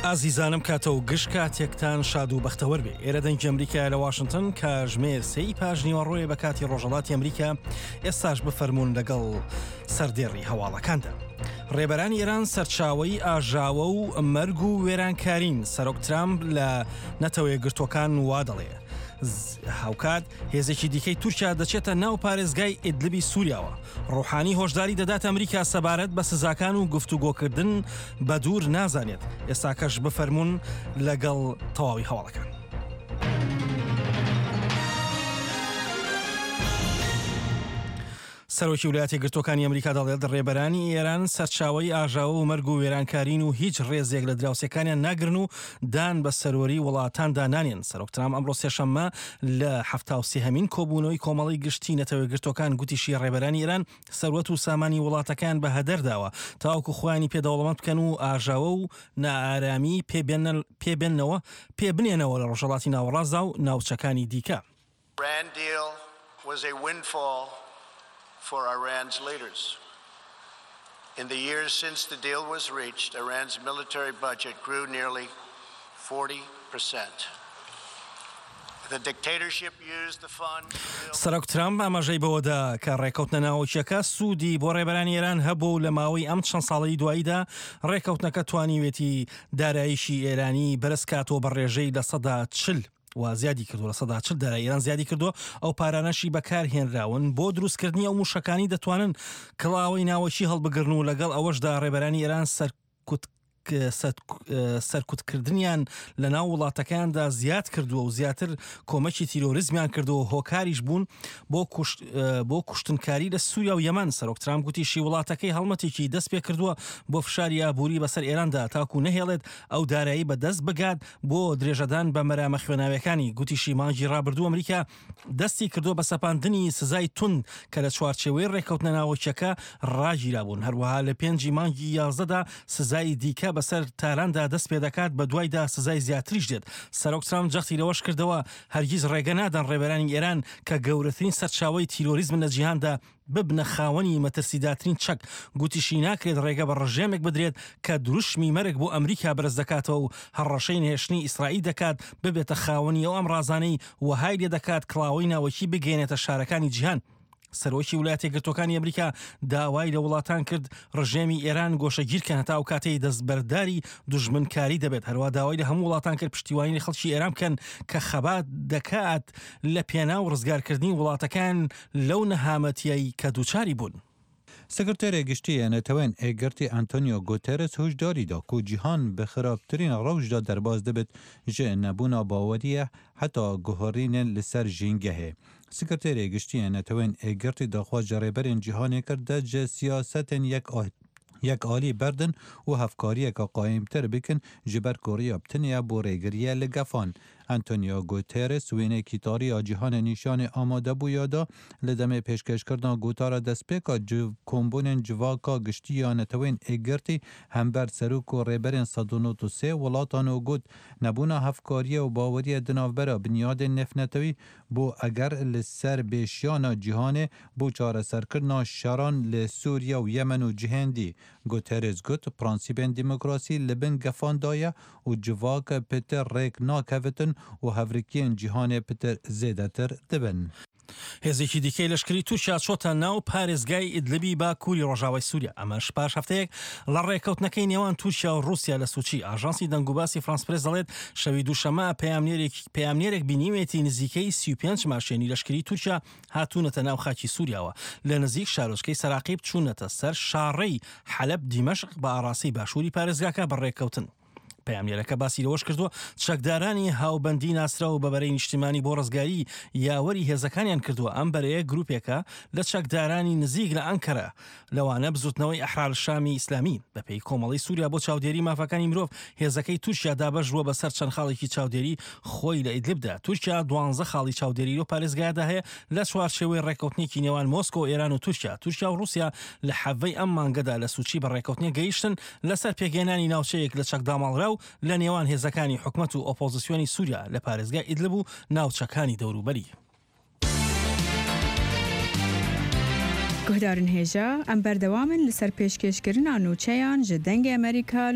ئازیزانم کاتە و گشت کاتێکتان شاد و بەختەوەر بێ ئێرە دەنگی ئەمریکا لە واشنگتن کاژمێر سێی پاش نیوەڕۆیە بە کاتی ڕۆژەڵاتی ئەمریکا ئێستاش بفەرمونون لەگەڵ سەردێڕی هەواڵەکاندا. ڕێبەرانی ئێران سەرچاوەی ئاژاوە و مەرگ و وێرانکارین سەرۆک ترامپ لە نەتەوە یەکگرتووەکان وا دەڵێ. هاوکات هێزێکی دیکەی تورکیا دەچێتە ناو پارێزگای ئیدلبی سووریاوە. ڕۆحانی هۆشداری دەدات ئەمریکا سەبارەت بە سزاکان و گفتوگۆکردن بە دوور نازانێت. ئێستاکەش بفەرموون لەگەڵ تەواوی هەواڵەکان. سەرۆکی ولایەتە یەکگرتووەکانی ئەمریکا دەڵێت، ڕێبەرانی ئێران سەرچاوەی ئاژاوە و مەرگ و وێرانکارین و هیچ ڕێزێک لە دراوسێکانیان ناگرن و دان بە سەروەری وڵاتاندا نانێن. سەرۆک ترامپ ئەمڕۆ سێشەممە لە حەفتاوسێهەمین کۆبوونەوەی کۆمەڵەی گشتی نەتەوە یەکگرتووەکان گوتیشی ڕێبەرانی ئێران سەروەت و سامانی وڵاتەکەیان بە هەدەر داوە تاوەکو خۆیانی پێ دەوڵەمەند بکەن و ئاژاوە و نائارامی پێ بێننەوە پێ بنێنەوە لە ڕۆژهەڵاتی ناوەڕاستدا و ناوچەکانی دیکە. Iran deal was a windfall for Iran's leaders. In the years since the deal was reached, Iran's military budget grew nearly 40 percent. The dictatorship used the fund to build. سەرۆک ترامپ ئاماژەی بەوەدا کە ڕێکەوتنە ناوەکییەکە سوودی بۆ ڕێبەرانی ئێران هەبوو و لە ماوەی ئەم چەند ساڵەی دواییدا ڕێکەوتنەکە توانیوێتی داراییشی ئێرانی بەرزکاتەوە بە ڕێژەی 40%. و زیادی کردووە 40% دارایی ئێران زیادی کردووە ئەو پارانەشی بەکار هێنراون بۆ دروستکردنی ئەو موشەکانی دەتوانن کڵاوەی ناوەکی هەڵبگرن و لەگەڵ ئەوەشدا ڕێبەرانی ئێران سەرکوت سەرکوتکردنیان لە ناو وڵاتەکەیاندا زیاد کردووە و زیاتر کۆمەکی تیرۆریزمیان کردووە هۆکاریش بوون بۆ کوشت بۆ کوشتنکاری لە سووریا و یەمەن سەرۆک ترامپ گوتیشی وڵاتەکەی هەڵمەتێکی دەست پێ کردووە بۆ فشاری ئابووری بەسەر ئێراندا تاکو نەهێڵێت ئەو دارایی بەدەست بگات بۆ درێژەدان بە مەرامە خوێناویەکانی، گوتیشی مانگی ڕابردوو ئەمریکا دەستی کردووە بە سەپاندنی سزای توند کە لە چوارچێوەی ڕێککەوتنە ناوەکیەکە ڕاگیرابوون، هەروەها لە پێنجی مانگی یازدەدا سزای دیکە بەسەر تاراندا دەست پێدەکات، بەدوایدا سزای زیاتریش دێت. سەرۆک ترامپ جەختی لەوەش کردەوە، هەرگیز ڕێگە نادەن ڕێبەرانی ئێران کە گەورەترین سەرچاوەی تیرۆریزمن لە جیهاندا، ببنە خاوەنی مەترسیدارترین چەک، گوتیشی ناکرێت ڕێگە بە ڕژێمێک بدرێت کە دروشمی مەرگ بۆ ئەمریکا بەرزدەکاتەوە و هەڕەشەی نەهێشتنی ئیسرائیل دەکات ببێتە خاوەنی ئەو ئامڕازانەی وەهای لێدەکات کڵاوەی ناوەکی بگەیەنێتە شارەکانی جیهان. سەرۆکی ولایەتیەکگرتووەکانی ئەمریکا داوای لە وڵاتان کرد ڕژێمی ئێران گۆشەگیرکەن هەتا ئەو کاتەی دەستبەرداری دوژمنکاری دەبێت، هەروەها داوای لە هەموو وڵاتان کرد پشتیوانی لە خەڵکی ئێران بکەن کە خەبات دەکات لە پێناو ڕزگارکردنی وڵاتەکەیان لەو نەهامەتییەی کە دووچاری بوون. سکرتێرێ گشتی یê Neteweyên Yekgirtî Antonio Guterres huşdarî da ku cîhan bi xirabtirîn rewş de derbas dibit ji nebûna baweriyê heta guherînên li ser jîngehê. Sekreterê Giştî yê Neteweyên Yekgirtî daxwaz ji rêberên cîhanê kir dest ji siyasetên yek alî berdin û hevkariyeke qayîmtir bikin ji ber ku riya bi tenê ye bo rêgiriyê li gefan. Antonio Guterres wêneyekî tarî ya cîhanê nîşanê amadebûya da li demê pêşkêşkirina gotara destpêka kombûnên civaka giştî ya Neteweyên Yekgirtî hember serok û rêberên 193 welatan û got, Nebûna hevkariyê û baweriyê di navbera binyadên nêvnetewî bo eger li ser bêşiyana cîhanê bo çareserkirina şeran li Sûriye û Yemen û cihên dî. Guterres got, Prensîbên demokrasî li bin gefan de ye û civak pitir rêk nakevitin û hevrikiyên cîhanê pitir zêdetir dibin. هێزێکی دیکەی لەشکری تورکیا چۆتە ناو پارێزگای ئیدلبی باکووری ڕۆژاوای سووریا، ئەمەش پاش هەفتەیەک لە ڕێککەوتنەکەی نێوان تورکیا و ڕووسیا لە سوچی. ئاژانسی دەنگوباسی فرانس پرێس دەڵێت، شەوی دووشەممە پەیامنێرێک بینیوێتی نزیکەی 35 ماشێنی لەشکری تورکیا هاتوونەتە ناو خاکی سووریاوە لە نزیک شارۆچکەی سەراقیب چوونەتە سەر شاڕێی حەلەب دیمەشق بە ئاڕاستەی باشووری پارێزگاکە بە ڕێککەوتن. پەیامنێرەکە باسی لەوەش کردووە، چەکدارانی هاوبەندی ناسراو بە بەرەی نیشتیمانی بۆ ڕزگاری یاوەری هێزەکانیان کردووە، ئەم بەرەیە گروپێکە لە چەکدارانی نزیک لە ئەنکەرە، لەوانە بزوتنەوەی ئەحرار شامی ئیسلامی. بەپێی کۆمەڵەی سوریا بۆ چاودێری مافەکانی مرۆڤ، هێزەکەی تورکیا دابەش بووە بەسەر چەند خاڵێکی چاودێری خۆی لە ئیدلبدا. تورکیا دوانزە خاڵی چاودێری لەو پارێزگایەدا هەیە لە چوارچێوەی ڕێککەوتنێکی نێوان مۆسکۆ، ئێران و تورکیا. تورکیا و ڕوسیا لە حەڤەی ئەم مانگەدا لە سوچی بە ڕێککەوتنێک گەیشتن لەسەر پێکهێنانی ناوچەیەک لە چەکداماڵراو لە نێوان هێزەکانی حکومەت و ئۆپۆزسیۆنی سوریا لە پارێزگای ئیدلب و ناوچەکانی دەوروبەری. Guhdarên hêja, em berdewam in li ser pêşkêşkirina nûçeyan ji Dengê Amerîka li.